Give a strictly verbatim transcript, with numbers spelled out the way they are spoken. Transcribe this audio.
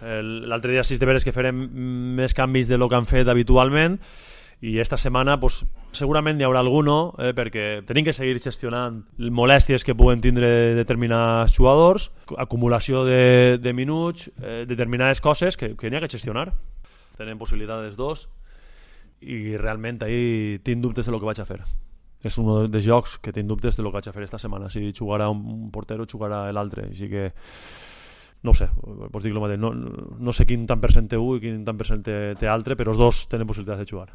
L'altre dia sis de veres que farem més canvis de lo que han fet habitualment, i esta setmana pues, segurament hi haurà alguno, eh, perquè tenim que seguir gestionant molèsties que puguen tindre determinats jugadors, acumulació de, de minuts, eh, determinades coses que, que n'hi ha que gestionar. Tenen possibilitats dos i realment ahir tinc dubtes de lo que vaig a fer. És un dels jocs que tinc dubtes de lo que vaig a fer esta setmana, si jugarà un porter o jugarà l'altre, així que no ho sé, pots dir el mateix, no, no sé quin tant per cent té un i quin tant per cent té, té altre, però els dos tenen possibilitats de jugar.